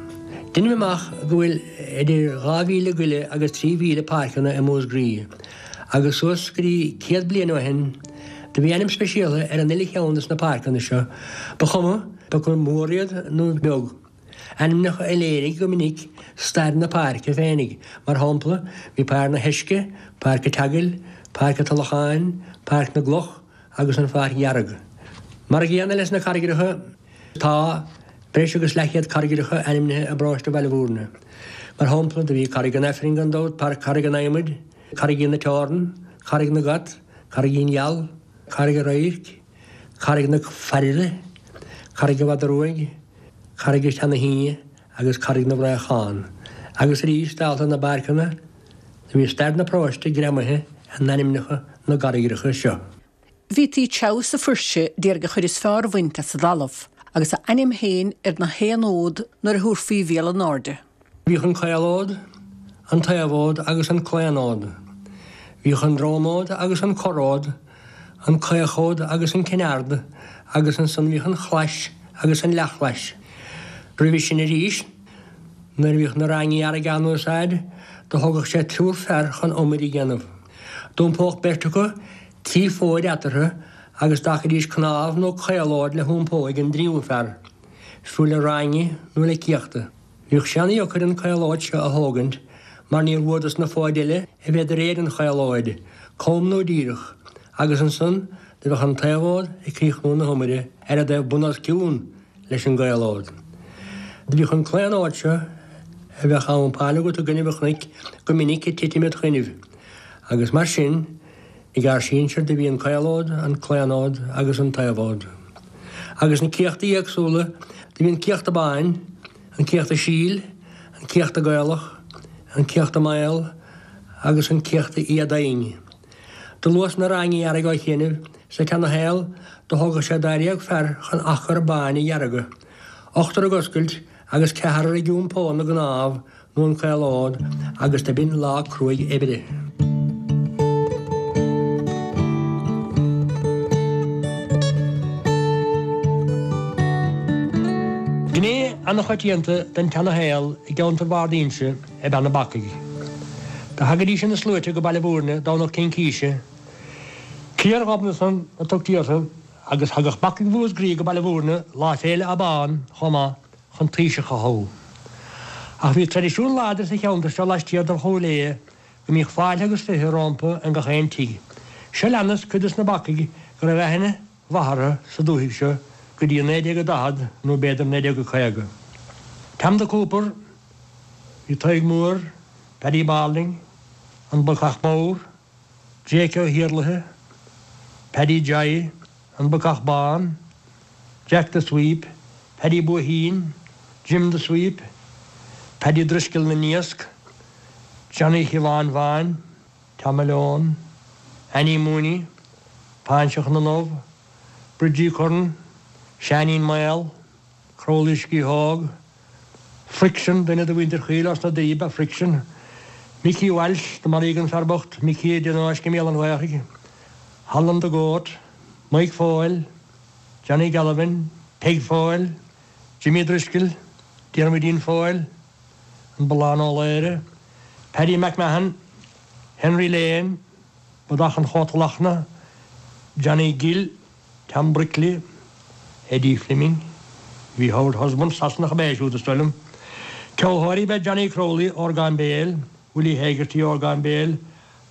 Deinim amach go bhfuil idir dhá mhíle go leith agus trí mhíle páirceanna i Múscraí, agus suas go dtí céad bliain ó shin, do bhí ainm speisialta ar an uile cheann de na páirceanna seo, ba chuma cé acu mór iad nó beag. Ainmneacha a léirigh go minic stair na páirce féinig, mar shampla, bhí Páirc na hEisce, Páirc an tSeagail, Páirc an Tulacháin, Páirc na gCloch, agus an Pháirc Dhearg. Mar a gcéanna leis na carraigreacha, tá breis agus leathchéad carraigreacha ainmnithe i bparóiste Bhaile Mhúirne. Mar shampla, do bhí Carraig an Aifrinn gan dabht, Páirc Carraig an Adhmaid, Carraigín na Teorann, Carraig na gCat, Carraigín Gheal, Carraig an Radhairc, Carraig na Fairre, Carraig an Mhadra Ruaidh, Carraig an tSeana-Shíne agus Carraig na bhFraochán. Agus arís, dálta na bpáirceanna, do bhí stair na paróiste greamaithe in ainmneacha na gcarraigreacha seo. Bhítí treabhadh sa fuirse d'iarraidh an chuid is fearr a bhaint as an dtalamh, agus a ainm féin ar na haon fhód nuair a thabharfaí mhíol in airde. Bhíodh an caolfhód, an taobhfhód agus an claonfhód. Bhíodh an dromfhód agus an corrfhód, an caochfhód agus an cinn ard, agus ansan bhíodh an chlais agus an leathchlais. Roimhe sin arís, nuair a bhíodh na raingí earraigh á n-úsáid, do thógadh sé triúr fear chun iomaire a dhéanamh. D'iompódh beirt acu trí fóid eatarthu agus d'fhágfaidís cnámh nó caolfhód le hiompó ag an dtríú fear, fiú le rainge nó le céachta. Bhíodh sé ana-dheacair an caolfhód seo a thógaint mar níor mhór dos na fóid eile a bheith de réir an chaolfhóid, cam nó díreach, agus ansan do bheadh an taobhfhód ag críochnú na hiomaire ar a dtaobh bun os cionn leis an gcaolfhód. Do bhíodh an claonfhód seo a bheadh á iompáil agat i gcoinnibh an chnoic go minic ag titim id choinnibh, agus mar sin, ag ár sinsir do bhí an caolfhód, an claonfhód agus an taobhfhód. Agus na céachtaí éagsúla, do bhí an céachta bán, an céachta síl, an céachta gaelach, an céachta maol agus an céachta éadomhain. Do luas na rangaí earraigh á chinneamh sa tseanashaol do thógadh sé dáréag fear chun achar bán a dheargadh, ochtar ag oscailt agus ceathrar ag iompó na gcnámh nó an chaolóid agus do b'in lá cruaidh oibre. Gné an-choitianta den tseanashaol i gceantar Bharr d'Inse ab ea na bacaigh. Do thagaidís ina sluaite go Baile Bhúirne Domhnach Cincíse. Cliar Ghobnatan a tugtaí orthu agus thagadh bacaigh Mhúscraí go Baile Bhúirne Lá Féile Abbán chomh maith chun taoiseach a thoghadh. Ach bhí traidisiún láidir sa cheantar seo laistiar de Chúil Aodha go mbíodh fáilte agus fiche rompu in gach aon tigh. Seo leanas cuid des na bacaigh go raibh aithne mhaith orthu sa dúthaigh seo go dtí naoi déag a daichead nó b'fhéidir naoi déag a caoga. Tam the Cooper, bhí Tadhg Mór, Paddy Balding, an Bacach Mór, Jake Ó hIarlaithe, Paddy Joy, an Bacach Bán, Jack the Sweep, Paddy Buaheen, Jim the Sweep, Paddy Driscoll na nIasc, Johnny Shiobháin Bháin, Tom Malone, Annie Mooney, Páinseach na nDubh, Bridgie Curran, Seáinín Maol, Crowley Sciathóg, Friction, duine de mhuintir Chaoil as na Doirí ba Friction, Mickey Walsh, do maraíodh an fear bocht, Mickey i dtionóisc i mBéal an Ghaorthaidh, Holland the Goat, Mike Foyle, Johnny Galvin, Peg Foyle, Jimmy Driscoll, Diarmuidín Foyle, an Ballán Ó Laoire, Paddy McMahon, Henry Lane, Bodach an Chóta Lachna, Johnny Gill, Tom Brickley, Eddie Fleming, bhí Howard Husband, Sasanach ab ea é siúd is dóigh liom. Ceoltóirí ba ea Johnny Crowley, orgán béil, Willie Hegarty, orgán béil,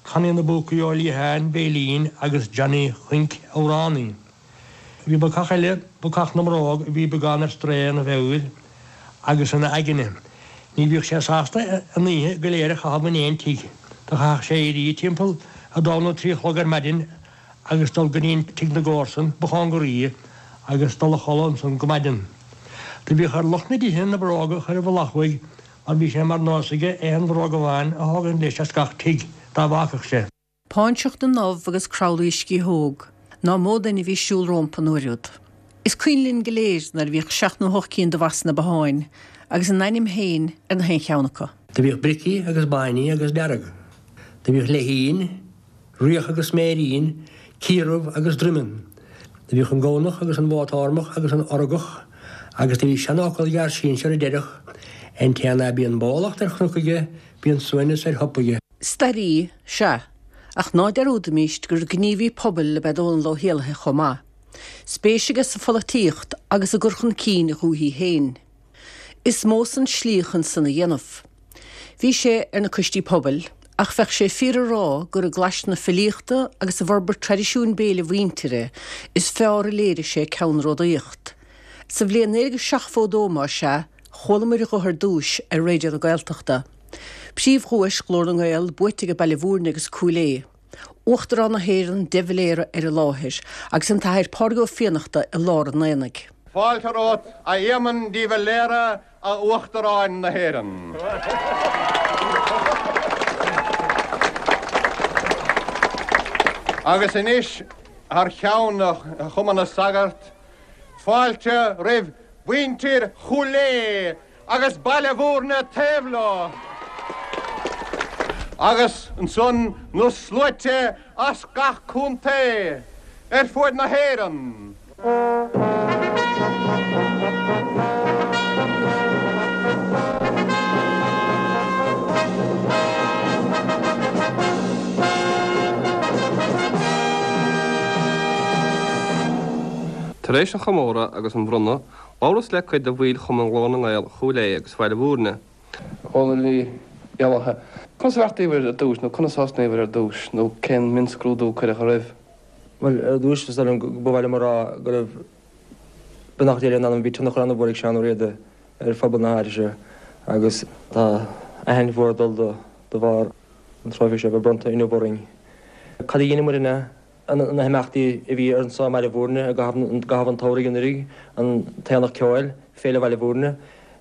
Connie na bPúcaí Ó Liatháin, veidhlín agus Johnny Chuinc, amhránaí. Bhí bacach eile, bacach na mbróg, a bhí beagán ar strae ina mheabhair agus ina aigne. Ní bhíodh sé sásta an oíche go léir a chaitheamh in aon tigh. Do chaithfeadh sé éirí timpeall a dó nó trí a chlog ar maidin agus dul go dtí tigh na gcomharsan ba chóngaraí agus dul a chodladh ansan go maidin. Do bhíodh ar lucht na dtithe na bróga a chur i bhfolach uaidh mar bhí sé mar nós aige aon bhróg amháin a thógaint leis as gach tigh dá bhfágfadh sé. Páinseach na nDubh agus Crowley Sciathóg, ná mó duine a bhí ag siúl rompu an uair úd. Is cuimhin linn go léir nuair a bhíodh seacht nó hocht cinn de bhas sna botháin agus a n-ainm féin ar na haon cheann acu. Do bhíodh bricí agus báiní agus dearg. Do bhíodh leithín, riach agus sméirín, ciarbh agus droimeann. Do bhíodh an gamhnach agus an bhó tórmach agus an orgach agus do bhí seanfhocal ag ár sinsir a deireadh, An té ná bíonn bólacht ar chnoc aige, bíonn suaimhneas ar shop aige. Staraí, sea, ach ná dearúdaimíst gur gníomhaí pobail ab ea Dónall Ó hÉallaithe chomh maith. Spéis aige sa pholaitíocht agus i gcur chun cinn a dhúichí féin. Is mó san slí chun san a dhéanamh. Bhí sé ar na coistí pobail, ach bheadh sé fíor a rá gur i gclais na filíochta agus i bhforbairt traidisiún béil a mhuintire is fearr a léirigh sé ceannródaíocht. Sa bhliain naoi déag seachtó dó más ea, chualamar a ghuth ar dtúis ar Raidió na Gaeltachta. Príomhdhuais Ghlór na nGael buaite ag Baile Bhúirne agus Cúil Aodha. Uachtarán na hÉireann de Valera ar an láthair agus an tAthair Pádraig Ó Fiannachta i lár an aonaigh. Fáilte romhat, a Éamoin de Valera, a Uachtaráin na hÉireann. Agus anois, thar cheann Chumann na Sagart, fáilte roimh mhuintir Chúil Aodha agus Baile Bhúirne taobh leo, agus ansan na sluaite as gach contae ar fuaid na hÉireann. Tar éis an chomóradh agus an bhronnadh, labhras le cuid de bhaill Chumann Ghlór na nGael Chúil Aodha agus Bhaile Bhúirne. Dónall Uí Éallaithe, Conas a bheartaíobhair ar dtús nó conas a thosnaíobhair ar dtús nó cén mionscrúdú a cuireadh oraibh? Bhuel, ar dtús, is dóigh liom go ba mhaith liom a rá go raibh beannacht Dé lena anam, bhí tionchar an-mhór ag Seán Ó Riada ar phobal na háite seo agus tá aithint mhór ag dul dó de bharr an trófaí seo a bheith bronnta inniu orainn. Cad a dheineamar ina na himeachtaí a bhí anso i mBaile Bhúirne i gcaitheamh an tsamhraidh anuraidh, an tAonach Ceoil, Féile Bhaile Bhúirne,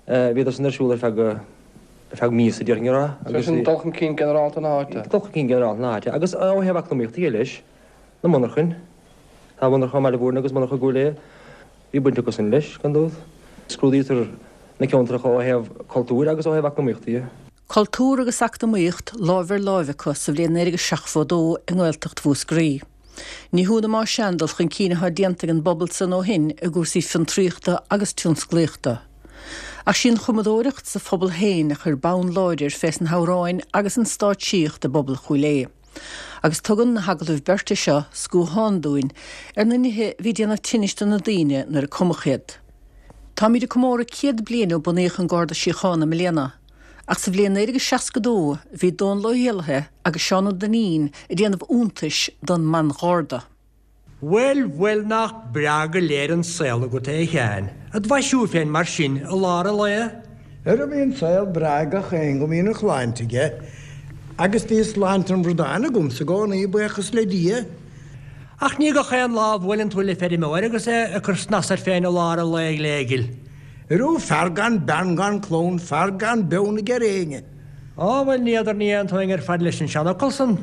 bhíodar san ar siúl ar feadh ar feadh míosa déarfainn a rá. Agus sin dul chun cinn ginearálta na háite. Dul chun cinn ginearálta na háite. Agus ó thaobh eacnamaíochta dhe leis, na monarchain. Tá monarcha i mBaile Bhúirne agus monarcha i gCúil Aodha. Bhí baint acu sin leis, gan dabht. Scrúdaítear na ceantracha ó thaobh cultúir agus ó thaobh eacnamaíochta dhe. Cultúr agus eacnamaíocht láimh ar láimh acu sa bhliain naoi déag seachtó a dó i nGaeltacht Mhúscraí. Ní hionadh más ea an dul chun cinn atá déanta ag an bpobal san ó shin i gcúrsaí fiontraíochta agus tionsclaíochta. Ach sí an chumadóireacht sa phobal féin a chuir bonn láidir fés na hamhráin agus an stáitsíocht i bpobal Chúil Aodha. Agus tugann na hagallaimh beirte seo scuathán dúinn ar na nithe a bhí ag déanamh tinnis do na daoine nuair a cumadh iad. Táimid ag comóradh céad bliain ó bunaíodh an Garda Síochána i mbliana. Ach sa bhliain naoi déag seasca dó bhí Dónall Ó hÉallaithe agus Seán Ó Duinnín ag déanamh iontais don mBan-Gharda. Bhuel, bhuel, nach breá go léir an saol agat é a Sheáin, id mhaisiú féin mar sin i lár an lae? Ara bíonn saol breá ag gach éinne go mbíonn a shláinte aige, agus bhí sláinte an bhradáin agamsa i gcónaí, buíochas le Dia. Ach ní gach aon lá a bhuaileann tú le feirmeoir agus é ag cur snas air féin i lár an lae ghléghil. Arú fear gan bean gan clann, fear gan beann aige ar éinne. Á, bhuel, ní fheadar ní aontóinn ar fad leis an seanfhocal san.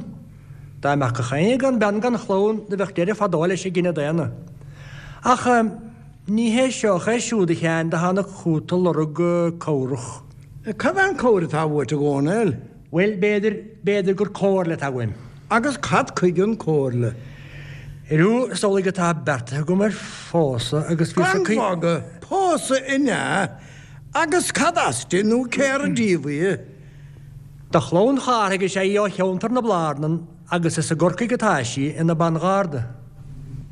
Dá mbeadh gach éinne gan bean gan chlann, do bheadh deireadh fadó leis an gcine daonna. Ach ní hé seo ach é siúd, a Sheáin, do tháinig chút a lorg cabhrach. Cad é an chabhair atá uait, a Dhónaill? Bhuel, b'fhéidir, b'fhéidir gur comhairle atá uaim. Agus cad chuige an chomhairle? Arú, is amhlaidh atá beartaithe agam ar phósadh agus bhíos Gan mhagadh, pósadh an ea? Agus cad as di nó cér díobh í? De chlann Chárthaigh is ea í ó cheantar na Blarnan agus is i gCorcaigh atá sí ina ban-gharda.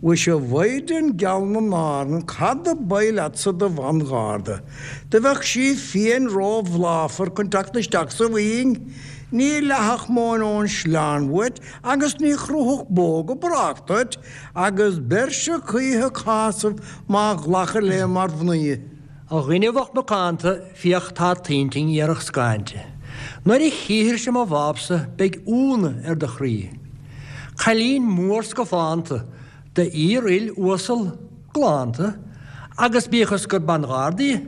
Mhuise a Mhaighdean gheal na nÁrann, cad a b'oth leatsa do bhan-gharda? Do bheadh sí féin ró-bhláfar chun teacht isteach sa bhuing. Ní leáfadh móin ón sleán uait agus ní chruthódh bó go brách duit, agus beirse choíche cásamh má ghlacair léi mar mhnaoi. A dhuine bhoicht mhacánta, féach tá t'intinn iarrthach scáinte. Nuair a chífirse mo bhábsa beidh ionadh ar do chroí. Cailín mór scafánta, d'fhíor-fhuil uasal, galánta, agus bíodh is gur ban-gharda í,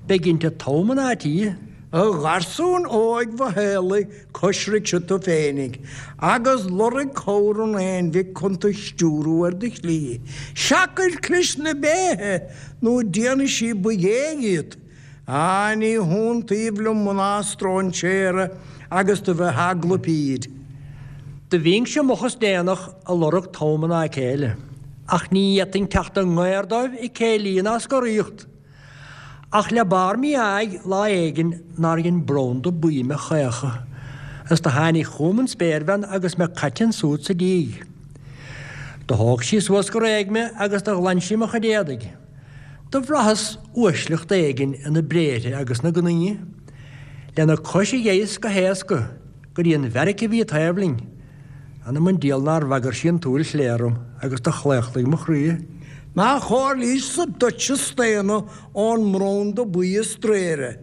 beidh inti togha mná tí. A gharsúin óig mhothaolaigh, coisricse tú féinig, agus lorg cabhair an aon-mhic chun tú stiúrú ar do shlí. Seachain clis na béithe, nó déanfaidh sí ba ghé dhíot. Á, ní hiontaoibh liom mná stróinséara agus do bheith eagla píd. Do bhínnse moch is déanach a lorg togha mná céile, ach ní fhéadfainn teacht i ngaor dóibh ag céilí ná scoraíocht. Ach le barr mí-áidh lá éigin nár dhein branda buí me chaochadh, is do tháinig chugam an spéirbhean agus me caite ansúd sa díg. Do thóg sí suas go réidh me agus do ghlan sí mo chuid éadaigh. Do bhraitheas uaisleacht éigin ina briathra agus 'na gnaoi. Lena cois a gheibheas go héasca go dtí an bheairic a bhí taobh linn. Anam an diabhal nár bhagair sí an tsúil chlé orm agus do chlaochlaigh mo chroí. Má chomhairlíos-sa duitse staonadh ón mbranda buí a straoire,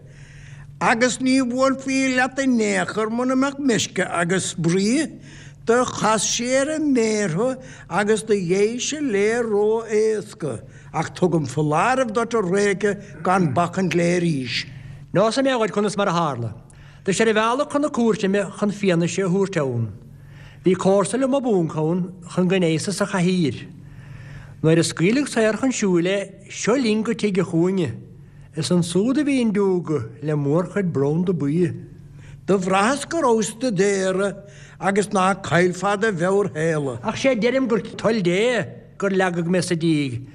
agus ní bhuailfí leat in aon chor muna mbeadh meisce agus brí, do chas sí ar an méar thú agus do gheibhis-se léi ró-éasca, ach tugaim foláireamh duit a réice gan bacaint léi arís. Neosfaidh mé dhuit conas mar a tharla. Do is ar an bhealach chun na cúirte mé chun fianaise a thabhairt ann. Bhí comharsa liom ab ionc ann chun go n-éasas sa chathaoir. Nuair a scaoileadh saor chun siúil é, seo linn go tigh a chúinne. Is ansúd a bhí an diúga le mórchuid branda buí. Do bhraitheas go rabhas do daoradh agus ná caillfeá do mheabhair shéala. Ach sé deirim gur toil Dé gur leagadh mé sa díg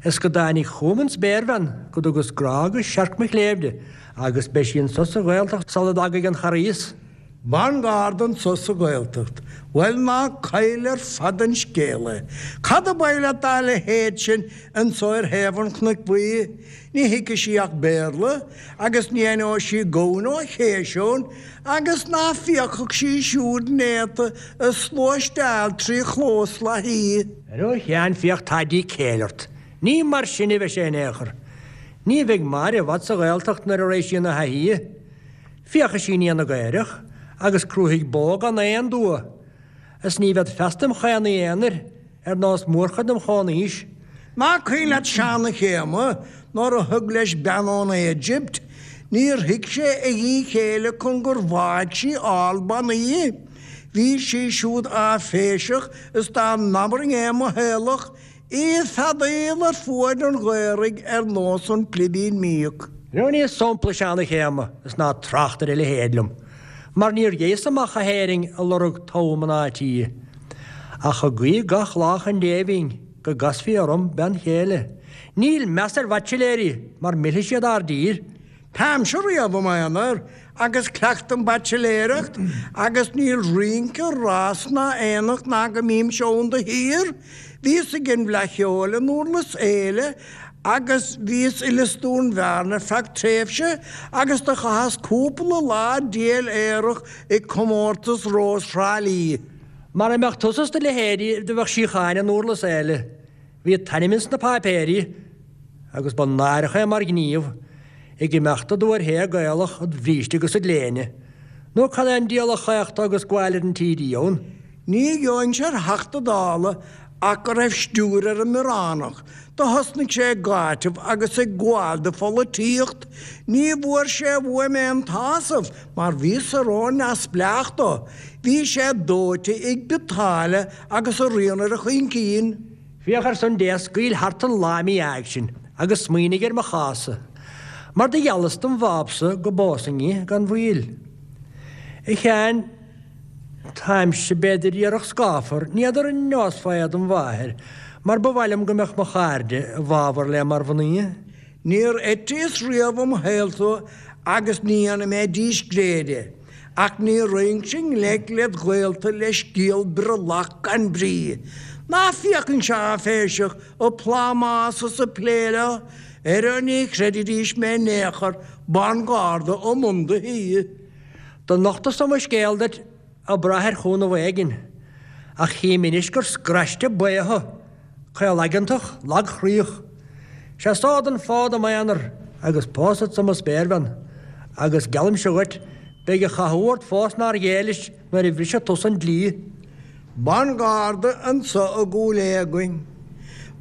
is go dtáinig chugam an spéirbhean go dtugas grá agus searc mo chléibh di agus beidh sí anso sa Ghaeltacht sula dtagaidh an Charghas. Ban-gharda anso sa Ghaeltacht. Bhuel, ná caill ar fad an scéal é. Cad ab oth leat dá leithéid sin anso ar thaobh an Chnoic Bhuí? Ní thuigfidh sí ach Béarla, agus ní aithneoidh sí gamhain ó chéiseoin, agus ná féachfadh sí siúd néata ag sluaisteáil trí chlós Lathaí. Arú a Sheáin, féach tá dícéill ort. Ní mar sin a bheidh sé in aon chor. Ní bheidh Máire i bhfad sa Ghaeltacht nuair a raghaidh sí ina thaithí. Féachfaidh sí i ndiaidh na gcaorach agus crúfaidh bó gan aon dua, is ní bhead feasta im chaonaigh aonair ar nós mórchuid dem chomhaois. Nach cuimhin leat Seán a' Chéama nuair a thug leis bean ón Éigipt? Níor thuig sé a dhíchéille chun gur bháigh sí ál bannaí. Bhí sí siúd áiféiseach is dá n-abrainn é mo theaghlach, í ag feadaíl ar fuaid an ghaorthaidh ar nós an clibín míoc. Roghnaíos sampla seana-chéime is ná trácht ar a leithéid liom, mar níor ghéas amach go hÉirinn ag lorg togha mná tí, ach ag guí gach lá chun Dé bhínn go gcasfaí orm bean chéile. Níl meas ar bhaitsiléirí mar millfidh siad ár dtír. Táimse riamh i m'aonar agus cleachtaim baitsiléireacht agus níl rince, rás ná aonach ná go mbímse ann de shíor. Bhíos ag an bhFleadh Cheoil i nDurlas Éile agus bhíos i Lios Dúin Bhearna ar feadh tréimhse agus do chaitheas cúpla lá diail aerach ag comórtas Rós Thrá Lí. Mara mbeadh tusa is do leithéidí do bheadh síocháin i nDurlas Éile. Bhí t'ainm ins na páipéirí agus ba náireach é mar ghníomh ag imeacht i dtóir hé Gaelach id bhríste agus id léine. Nó cad é an diabhal a chaochta agus gabháil ar an TD ann? Ní gheobhainnse ar Theachta Dála ach go raibh stiúir ar an mBioránach. Do thosnaigh sé ag áiteamh agus ag gabháil do pholaitíocht. Ní bhfuair sé uaim aon tsásamh mar bhíos-sa ró-neamhspleách dó. Bhí sé dóite ag biotáille agus a rian ar a chuincín. Féach ar son Dé scaoil thart an lá mí-ádh sin agus smaoinigh ar mo chás-sa, mar do gheallas dom bhábsa go bpósfainn í gan mhoill. A Sheáin, táimse b'fhéidir iarrach scáfar, ní fheadar an neosfá é dom mháthair, mar ba mhaith liom go mbeadh mo chairde i bhfabhar léi mar mhnaoi. Níor eitíos riamh i mo shaol tú agus ní dhéanfaidh mé díscréid é, ach ní raghainnse i ngleic led ghaolta le scéal brollach gan brí. Ná féachainnse áiféiseach ag plámás is ag plé leo, ara ní chreidfidís mé in aon chor, ban-gharda i mbun do thí. Do nochtas-sa mo scéal duit ag brath ar chúnamh éigin, ach chím anois gur scraiste baoth thú, caolaigeantach, lagchroíoch. Seasfad an fód i m'aonar agus pósfadsa mo spéirbhean, agus geallaimse dhuit, beidh an chathú ort fós nár ghéillis nuair a bhrisfidh tusa an dlí. Ban-gharda anso i gCúil Aodha againn.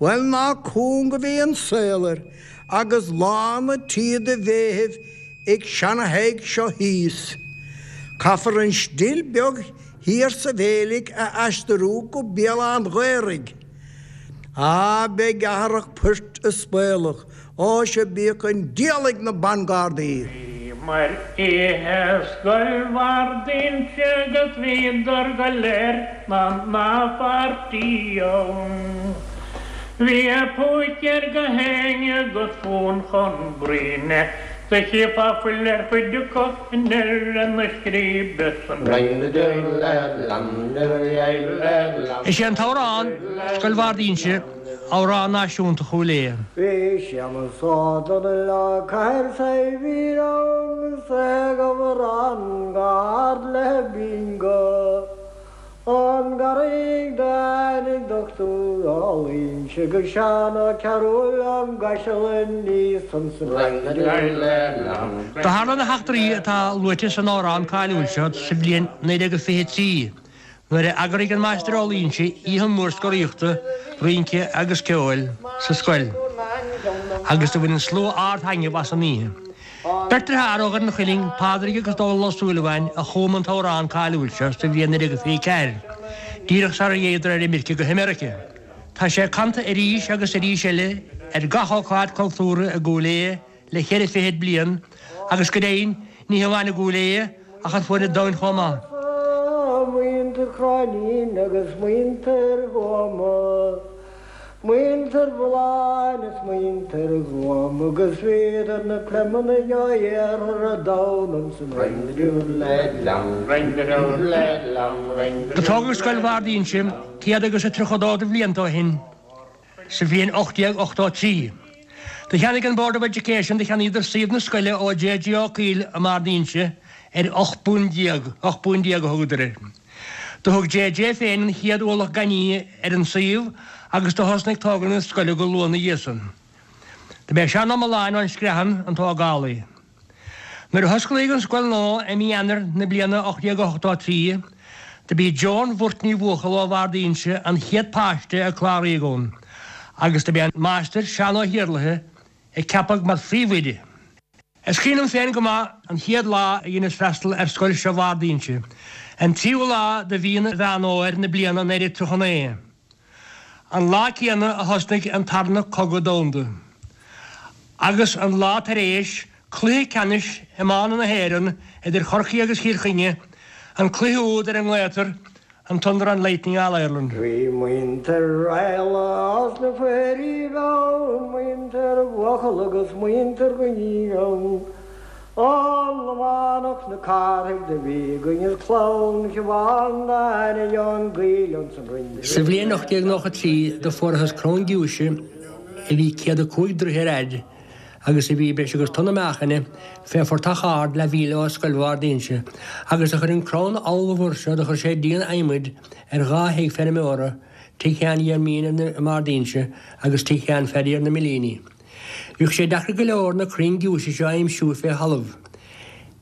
Bhuel, ná cúng a bhí an saol air agus lán a tí de bhéithibh ag seana-Thadhg seo thíos. Caithfear an stil beag thiar sa Bheilg a aistriú go Béal Átha an Ghaorthaidh. Á, beidh athrach poirt is spaolach, ó sea bíodh an diabhal ag na ban-ghardaí! Bhíomar oíche i Scoil Bhard Inse agus bhíodar go léir 'na pháirtí ann. Bhí a púicéir go héinne agus fún chun bruíne, do chífeá fuil ar chuid acu i ndeireadh na scríbe san. Is é an t-amhrán, Scoil Bhard Inse, amhrán náisiúnta Chúil Aodha. Bhí Séamus Ó Domhnaill ó Cathair Saidhbhín ann 's é ag amhrán go hard le bingo. Ón gCarraig do tháinig Dochtúir Ó Loingsigh agus Seán Ó Cearúil ón gCaiseal aníos ansan. Do tharla na heachtraí atá luaite san amhrán cáiliúil seo sa bhliain naoi déag fiche trí, nuair a eagraigh an Máistir Ó Loingsigh oíche mhór scoraíochta, rince agus ceoil sa scoil, agus do bhain an slua ard-thaitneamh as an oíche. Beirt dearthár ó Dhoire an Chuilinn, Pádraig agus Dónal Ó Súilleabháin, a chum an t-amhrán cáiliúil seo sa bhliain naoi déag fiche ceathair, díreach sara dtéadar ar imirce go hAmeirice. Tá sé canta arís agus arís eile ar gach ócáid cultúrtha i gCúil Aodha le ceithre fichid bliain agus go deimhin ní hamháin i gCúil Aodha ach ar fuaid an domhain chomh maith. Muintir Chróinín agus muintir Thuama, muintir Bhulláin is muintir Ghuama agus bhíodar na Pleimeannaigh ó iarthar an domhain ansan. Do tógadh Scoil Bhard Inse céad agus a tríocha dó de bhlianta ó shin, sa bhliain ocht déag ochtó trí. Do cheannaigh an Board of Education, do cheannaíodar suíomh na scoile ó J J Ó Cuill i mBard Inse ar ocht bpunt déag, ocht bpunt déag a thugadar air. Do thug J J féin an chéad ualach gainimh ar an suíomh agus do thosnaigh tógáil na scoile go luath ina dhiaidh san. Do b'é Seán Ó Mealláin ón Screathan an tógálaí. Nuair a hosclaíodh an scoil nua i mí Eanáir na bliana ocht déag ochtó trí, do b'í Joan Bhurt Ní Bhuachalla ó Bhard Inse an chéad páiste a cláraíodh ann agus do b'é an Máistir Seán Ó hIarlaithe a ceapadh mar phríomhoide. Is cuimhin liom féin go maith an chéad lá a dheineas freastal ar scoil seo Bhard Fhínse, an tríú lá de mhí Mheán Fhómhair na bliana naoi déag tríocha naoi. An lá céanna a thosnaigh an Tarna Cogadh Domhanda. Agus an lá tar éis cluiche ceannais iomána na hÉireann idir Chorcaigh agus Chill Chainnigh, an cluiche úd ar a nglaotar an Thunder and Lightning All Ireland. Bhí muintir Raghallaigh as na Foirithigh ann, muintir Bhuachalla agus muintir Ghuiní ann. An Lománach na Cárthaigh do bhí againn is clann Shiobhán d'Aine an Gaoil ansan rinne. Sa bhliain ocht déag nócha trí do fuarthas crann giúise a bhí céad a cúig droich ar fhaid agus a bhí breis agus tonna meáchain fé phortach ard leathmhíle ó Scoil Bhard Fhínse, agus do chuir an crann ollmhór seo do chuir sé díon adhmaid ar dhá thigh feirmeora, tigh Sheáin Dhiarmaoin i mBard Fhínse agus tigh Sheáin Phaddy ar na Millíní. Bhíodh sé deacair go leor na crainn giúise seo a aimsiú fé thalamh.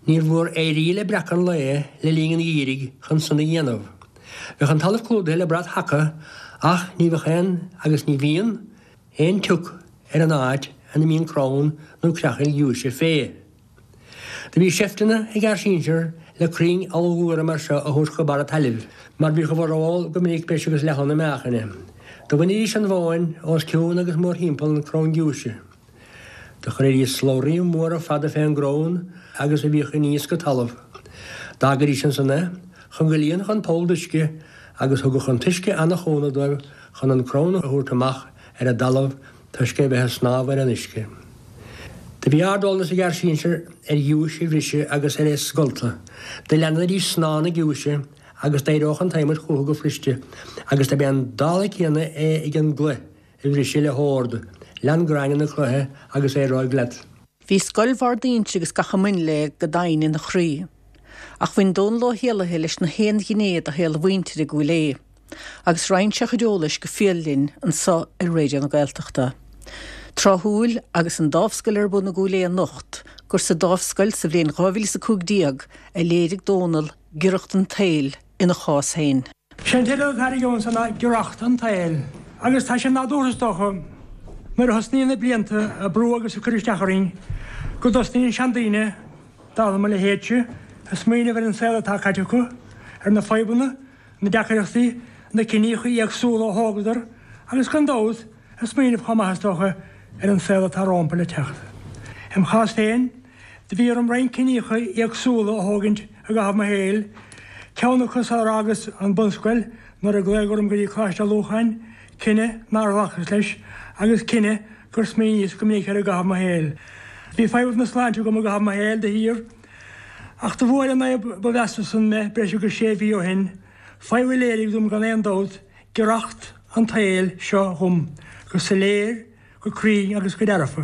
Níor mhór éirí le breacadh an lae le linn an gheimhridh chun san a dhéanamh. Bheadh an talamh clúdaithe le brat haca ach ní bheadh aon, agus ní bhíonn, aon tsioc ar an áit ina mbíonn crann nó creachaill ghiúise fé. Do bhí seifteanna ag ár sinsear le crainn ollmhóra mar seo a thabhairt go barr an tailimh, mar bhíodh a bhformhór go minic breis agus leath-thonna meáchain. Do bhainidís an mhóin os cionn agus mórthimpeall an crann giúise. Do chuiridís slabhraí móra fada fén gcrann agus a bhíodh aníos go talamh. D'fhágaidís ansan é chun go líonfadh an poll d'uisce agus thugadh an t-uisce ana-chúnamh dóibh chun an crann a thabhairt amach ar an dtalamh toisc é bheith ag snámh ar an uisce. Do bhí ard-eolas ag ár sinsir ar ghiúis a bhriseadh agus ar é scoltadh. Do leanaidís snáth na giúise agus d'éireodh an t-adhmad chucu go fuiriste agus dob é an dála céanna é ag an gcloich a bhriseadh le hord, lean gráinne na cloiche agus éireoidh leat. Bhí Scoil Bhard Fhínse agus gach a mbain léi go domhain ina chroí. Ach bhain Dónal Ó hÉallaithe leis na haon ghné de shaol a mhuintire i gCúil Aodha. Agus roinn sé a chuid eolais go fial linn anseo ar Raidió na Gaeltachta. Tráthúil agus an Dámhscoil ar bun i gCúil Aodha anocht, gur sa Dámhscoil sa bhliain dhá mhíle is a cúig déag a léirigh Dónal giorracht an tsaoil ina chás féin. Sé an teideal atá ar ansan ná Giorracht an tSaoil, agus tá sé nádúrtha is dócha, nuair a thosnaíonn na blianta ag brú agus ag cur isteach orainn, go dtosnaíonn seandaoine, dála mo leithéidse, ag smaoineamh ar an saol atá caite acu, ar na fadhbanna, na deacaireachtaí, na ciníocha éagsúla a thógadar, agus gan dabht, ag smaoineamh chomh maith is dócha ar an saol atá rompu le teacht. Im chás féin, do bhí orm roinnt ciníocha éagsúla a thógaint i gcaitheamh mo shaoil, ceann acu sular fhágas an bunscoil nuair a glaodh orm go dtí Coláiste Lúcháin, cinneadh nár ghlacas leis agus cinneadh gur smaoiníos go minic air i gcaitheamh mo shaoil. Bhí fadhbanna sláinte agam i gcaitheamh mo shaoil de shíor, ach do bhuail an fhadhb ba mheasa san mé breis agus sé mhí ó shin, fadhb a léirigh dom gan aon dabht giorracht an tsaoil seo dhom go soiléir, go cruinn agus go dearfa.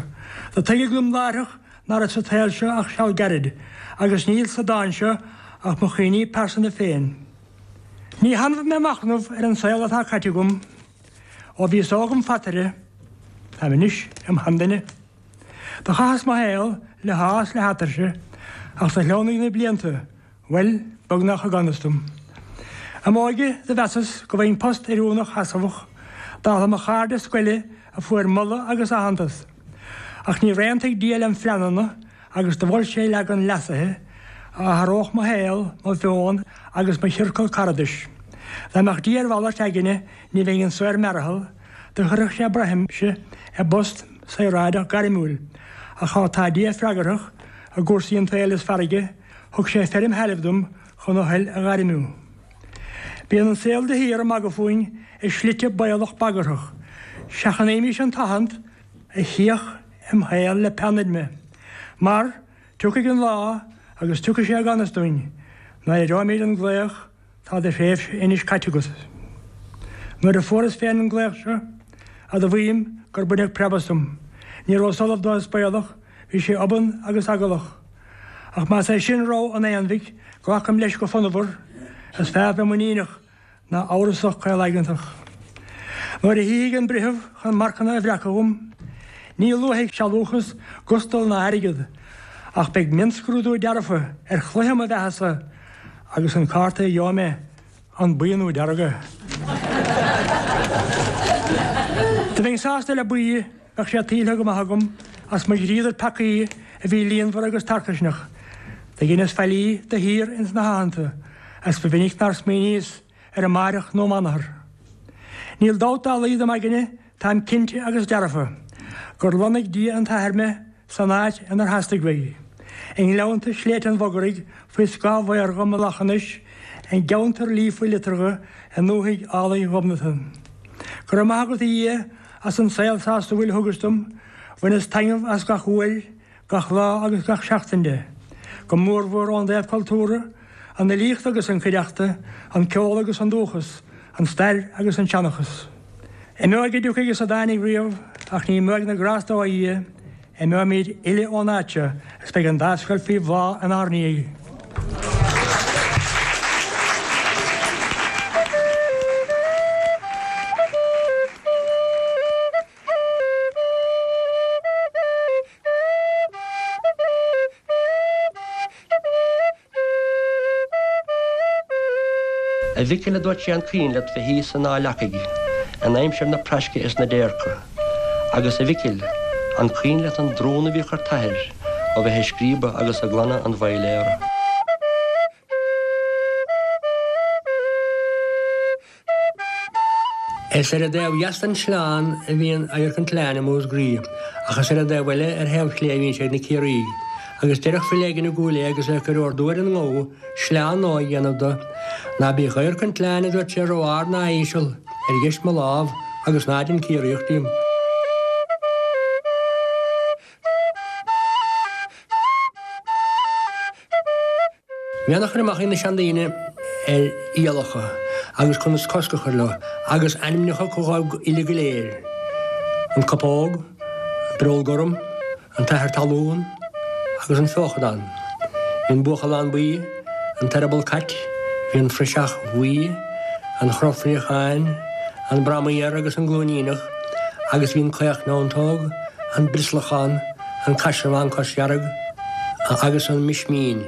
Do tuigeadh dom láithreach ná raibh sa tsaol seo ach seal gairid, agus níl sa dán seo ach mo chuimhní pearsanta féin. Ní hannamh mé ag machnamh ar an saol atá caite agam ó bhíos óg im phataire, táim anois im sheanduine. Do chaitheas mo shaol le hádh is le hatuirse, ach do shleamhnaigh na blianta, bhuel, beagnach i gan fhios dom. I m'óige do mheasas go bhfaighinn post oiriúnach seasmhach, dála mo chairde scoile a fuair moladh agus aitheantas. Ach níor aontaigh Dia lem phleananna agus do mhol sé leagan leasaithe a athródh mo shaol, mo mheon agus mo chiorcal caradais. Dá mbeadh Dia ar mhalairt aigne ní bheinn anso ar mearathal, do chuirfeadh sé braithimse i bpost saoráideach gairmiúil. Ach má tá Dia freagarthach i gcúrsaí an tsaoil is farraige, thug sé feirm thailimh dom chun a thoil a ghairmiú. Bíonn an saol de shíor ag magadh fúinn i slite baolach bagarthach. Seachnaímis an tathant a chíoch im shaol le peann fheidhme, mar tiocfaidh an lá agus tiocfaidh sé i gan fhios dúinn, nuair a aireoimid an glaoch tá do thréimhse anois caite agat. Nuair a fuaireas féin an glaoch seo, admhaím gur baineadh preab asam. Ní rabhas ullamh dó is baolach, bhí sé obann agus eagalach. Ach más é sin rogha an aonmhic, glacaim leis go fonnmhar, is fearr bheith muiníneach ná amhrasach caolaigeantach. Nuair a shuífidh an breitheamh chun marcanna a bhreacadh dhom, ní luafaidh sealúchas, gustal ná airgead, ach beidh mionscrúdú dearfa ar chluiche mo bheathasa agus an cárta a gheobhaidh mé, an buí nó dearg é? Dá mbeinn sásta le buí, bheadh sé tuillthe go maith agam as mo dhríodar peacaí a bhí líonmhar agus tarcaisneach. Do dheineas faillí de shíor ins na haitheanta, agus ba mhinic nár smaoiníos ar amáireach nó m'anathar. Níl dabht dá laghad im aigne, táim cinnte agus dearfa, gur lonnaigh Dia an t-Athair mé san áit inar theastaigh uaidh, i ngleannta Shléibhte an Bhogaraigh faoi scáth mhaorga Mhullach an Eich, i gceantar líofa liteartha i ndúthaigh álainn Ghobnatan. Go raibh maith agat a Dhia as an saol sásúil a thugais dom, bhaineas taitneamh as gach uair, gach lá agus gach seachtain de, go mórmhór ón dtaobh cultúrtha, an fhilíocht agus an chuideachta, an ceol agus an dúchas, an stair agus an seanchas. Imeoidh a dtiocfaidh is a dtáinig riamh, ach ní imeoidh na grásta ó Dhia, imeoimid uile ón áit seo agus beidh an dá scoil faoi bhláth inár ndiaidh. A Mhicil, a dúirt sé, an cuimhin leat bheith thíos san Áth Leacaigh in aimsir na praisce is na déirce? Agus, a Mhicil, an cuimhin leat an drún a bhíodh ar t'athair ó bheith ag scríobadh agus ag glanadh an bhoiléara? Is ar an dtaobh dheas den sleán a bhíonn Adharc an tSleáin i Músgraí, ach is ar an dtaobh eile ar thaobh clé a bhíonn sé ag na Ciarraígh. Agus deireadh file éigin i gCúil Aodha agus é ag cur ordú ar an ngabha sleán nua a dhéanamh do, Ná bíodh Adharc an tSleáin, a dúirt sé, ró-ard ná íseal, ar dheis mo lámh, agus ná dein Ciarraíoch díom. Bhí an-chur amach ag na seandaoine ar fhialacha agus conas cosc a chur leo, agus ainmneacha acu dhóibh uile go léir, an copóg, an bireol gorm, an t-athair talún agus an feochadán. Bhí an buachallán buí, an t-eireaball cait, bhí an phriseach bhuí, an chrobh phréacháin, an bramaíor agus an glúiníneach, agus bhí an caochneantóg, an brioslachán, an caisearbhán cosdhearg agus an mismín.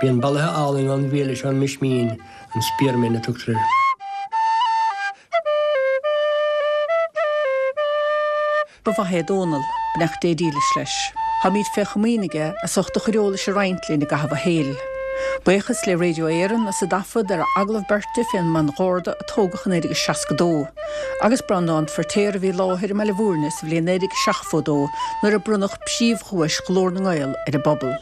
Bíonn bolaithe álainn ón bhfiaile seo, an mismín, an spearmint a tugtar air. Ba mhaith é Dónal, beannacht Dé dílis leis. Táimid fé chomaoin aige as ucht a chuid eolais a roinnt linn i gcaitheamh a shaoil. Buíochas le Radio Éireann as a dtaifead ar a agallamh beirte fén mBan Gharda a tógadh in naoi déag seasca dó, agus Breandán Feirtéar a bhí i láthair i mBaile Bhúirne sa bhliain naoi déag seachtó dó nuair a bronnadh príomhdhuais Ghlór na nGael ar an bpobal.